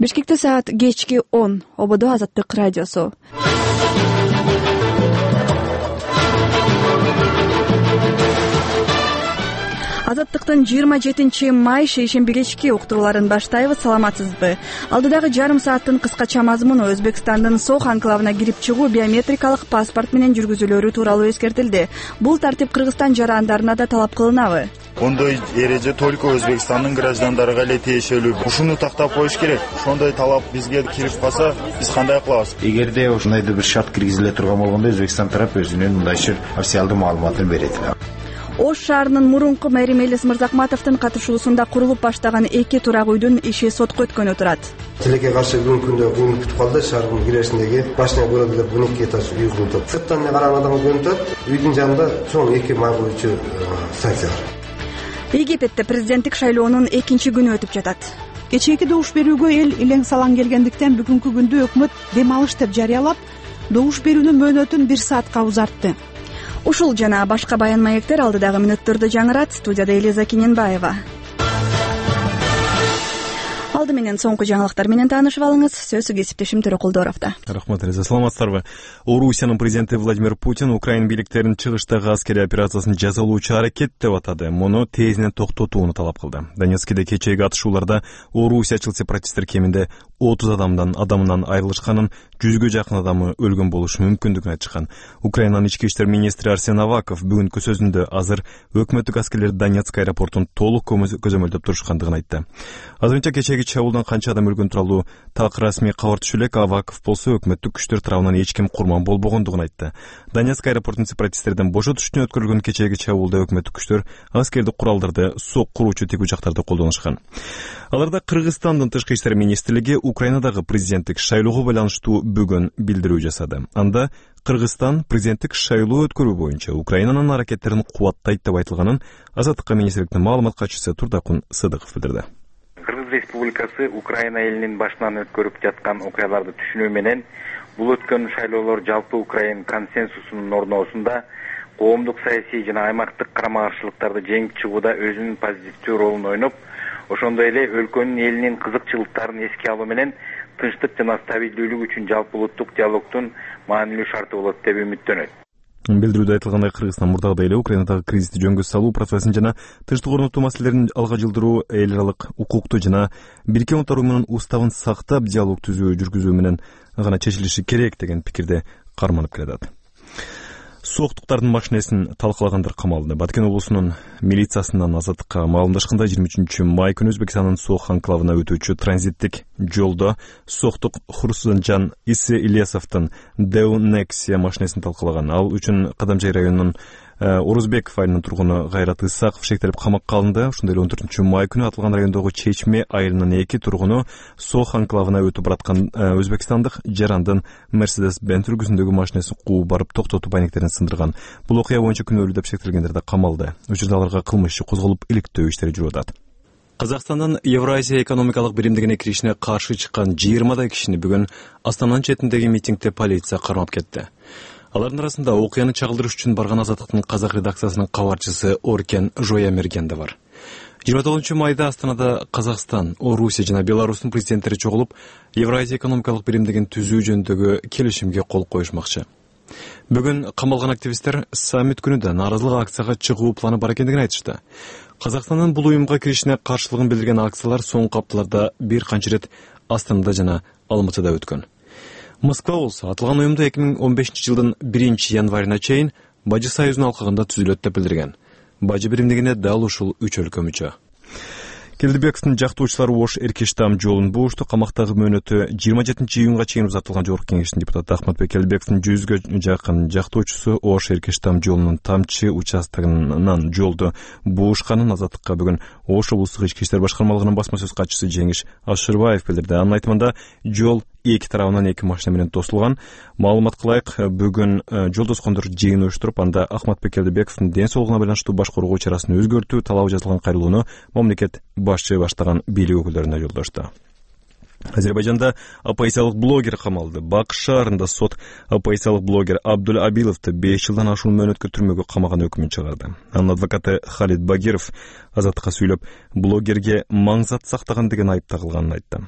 Бишкекте саат кечки 10. Ободо Азаттык радиосу. Азаттыктын 27 май шейшемби кечки уктурууларын баштайбыз. Саламатсызбы? Алдыдагы жарым сааттын кыскача мазмуну Өзбекстандын Сох анклавына кирип чыгуу биометрикалык паспорт менен жүргүзүлөрү тууралуу эскертилди. Бул тартип Кыргызстан жарандарына да талап кылынабы? Ондой эреже только Өзбекстандын граждандарына эле тиешелүү. Ушуну тактап коюш керек. Ошондой талап бизге кирип калса, биз кандай кылабыз? Эгерде ушундайдыр бир шарт киргизиле турган болгондо, Өзбекстан тарап өзүнүн мындайча официалдуу маалыматын берет. Ош шаарынын мурунку мэри Мелис Мырзакматовдун катышуусунда курулуп баштаган 2 турак үйдүн иши сотко өткөнү турат. Тилекке каршы бүгүнкү күндө кыйын күтүп калды. Шаардын киресиндеги башына көрөлүп 12 этаж үй курулду. Сырттан караган адам көрүнүп турат. Үйдүн жанында чоң 2 май коюучу станция бар. Египетте президенттик шайлоонун 2 күнү өтүп жатат. Кечээки добуш берүүгө эл илең салаң келгендиктен бүгүнкү күндү өкмөт дем алыш деп жарыялап, добуш берүүнүн мөөнөтүн 1 саатка узартты. Ушул жана башка баян маектер алдыдагы мүнөттөрдө жаңырат. Студияда Элиза Киненбаева. Алды менен соңку жаңылыктар менен таанышып алыңыз. Сөзү кесиптешим Төрөкулдоровдо. Рахмат, Элиза. Саламатсыздарбы? Орусиянын президенти Владимир Путин Украина бийликтеринин чыгыштагы аскерий операциясын жазалоочу аракет деп атады. Муну тезинен токтотууну талап кылды. Донецкиде кечээги атышууларда орусиячыл сепаратисттер кеминде 30 адамынан айрылышканын, 100гө жакын адамы өлгөн болушу мүмкүндүгүн айтышкан. Украинанын ички иштер министри Арсен Аваков бүгүнкү сөзүндө азыр өкмөттүк аскерлер Донецк аэропортун толук көзөмөлдөп турушкандыгын айтты. Азырынча кечээги чабуулдан канча адам өлгөн тууралуу так расмий кабар түшө элек. Аваков болсо өкмөттүк күчтөр тарабынан эч ким курман болбогондугун айтты. Донецк аэропортун сепаратисттерден бошотуш үчүн өткөрүлгөн кечээги чабуулда өкмөттүк күчтөр аскердик куралдарды, сок куруучу тик учактарды колдонушкан. Аларда Кыргызстандын тышкы иштер министрлиги Украинадагы президенттик шайлоого байланыштуу бүгүн билдирүү жасады. Анда Кыргызстан президенттик шайлоо өткөрүү боюнча Украинанын аракеттерин кубаттайт деп айтылганын Азаттыкка министрликтин маалымат катчысы Турдакун Сыдыков билдирди. Кыргыз Республикасы Украина элинин башынан өткөрүп жаткан окуяларды түшүнүү менен бул өткөн шайлоолор жалпы Украин консенсусунун орноосунда коомдук саясий жана аймактык карама-каршылыктарды жеңип чыгууда өзүнүн позитивдүү ролун ойноп, ошондой эле өлкөнүн элинин кызыкчылыктарын эске алуу менен тынчтык жана стабилдүүлүк үчүн жалпы улуттук диалогдун маанилүү шарты болот деп үмүттөнөт. Билдирүүдө айтылгандай, Кыргызстан мурдагыдай эле Украинадагы кризисти жөнгө салуу процессин жана тынчтык орнотуу маселелерин алга жылдыруу, эл аралык укукту жана Бириккен Улуттар уюмунун уставын сактап диалог жүргүзүү менен гана чечилиши керек деген пикирде карманып келатат. Соктуктардын машинесин талкалагандар камалды. Баткен облусунун милициясынан Азаттыкка маалымдашканда 23 май күнү Өзбекстандын Сох анклавына өтүүчү транзиттик жолдо соктук Хурсунжан Исе Ильясовдун Деу Нексия машинесин талкалаган. Ал үчүн Кадамжай районунун Орузбеков айылынын тургуну Кайрат Исаков шектелип камакка алынды. Ошондой эле 14 май күнү атылган райондогу Чечме айылынын 2 тургуну Сох анклавына өтүп бараткан өзбекстандык жарандын Mercedes-Benz үлгүсүндөгү машинесин кууп барып токтотуп айнектерин сындырган. Бул окуя боюнча күнөөлүү деп шектелгендер да камалды. Учурда аларга кылмыш иши козголуп, иликтөө иштери жүрүп атат. Казакстандын Евразия экономикалык биримдигине киришине каршы чыккан 20 кишини бүгүн Астананын четиндеги митингде полиция кармап кетти. Алардын арасында окуяны чагылдырыш үчүн барган Азаттыктын казак редакциясынын кабарчысы Оркен Жоямерген да бар. 29 майда Астанада Казакстан, Орусия жана Беларустун президенттери чогулуп, Евразия экономикалык биримдигин түзүү жөнүндөгү келишимге кол коюшмакчы. Бүгүн камалган активисттер саммит күнүдө нааразылык акцияга чыгуу планы бар экендигин айтышты. Казакстандын бул уюмга киришине каршылыгын билдирген акциялар соңку апталарда бир канча рет Астанада жана Алматыда өткөн. Москва болсо атылган уюмду 2015 жылдын 1 январына чейин Бажы союзунун алкагында түзүлөт деп билдирген. Бажы биримдигине дал ушул 3 өлкө мүчө. Келдибековдун жактоочулары Ош Эркештам жолун буушту. Камактагы мөөнөтү 27 июнга чейин узартылган Жогорку кеңештин депутаты Ахматбек Келдибековдун 100гө жакын жактоочусу Ош Эркештам жолунун Тамчы участогунан жолду буушканын Азаттыкка бүгүн Ош облустук ички иштер башкармалыгынын басма сөз катчысы Жеңиш Ашырбаев билдирди. Анын айтымында жол 2 тарабынан 2 машина менен тосулган. Маалымат кылайык, бүгүн жол тоскондор жыйын уюштуруп, анда Ахматбек Келдибековдун ден соолугуна байланыштуу баш коргоо чарасын өзгөртүү талабы жазылган кайрылууну мамлекет башчы баштаган бийлик өкүлдөрүнө жолдошту. Азербайжанда оппозициялык блогер камалды. Бак шаарында сот оппозициялык блогер Абдул Абиловду 5 жылдан ашуун мөөнөткө түрмөгө камаган өкмүн чыгарды. Анын адвокаты Халид Багиров Азаттыкка сүйлөп, блогерге маңзат сактаган деген айып тагылганын айтты.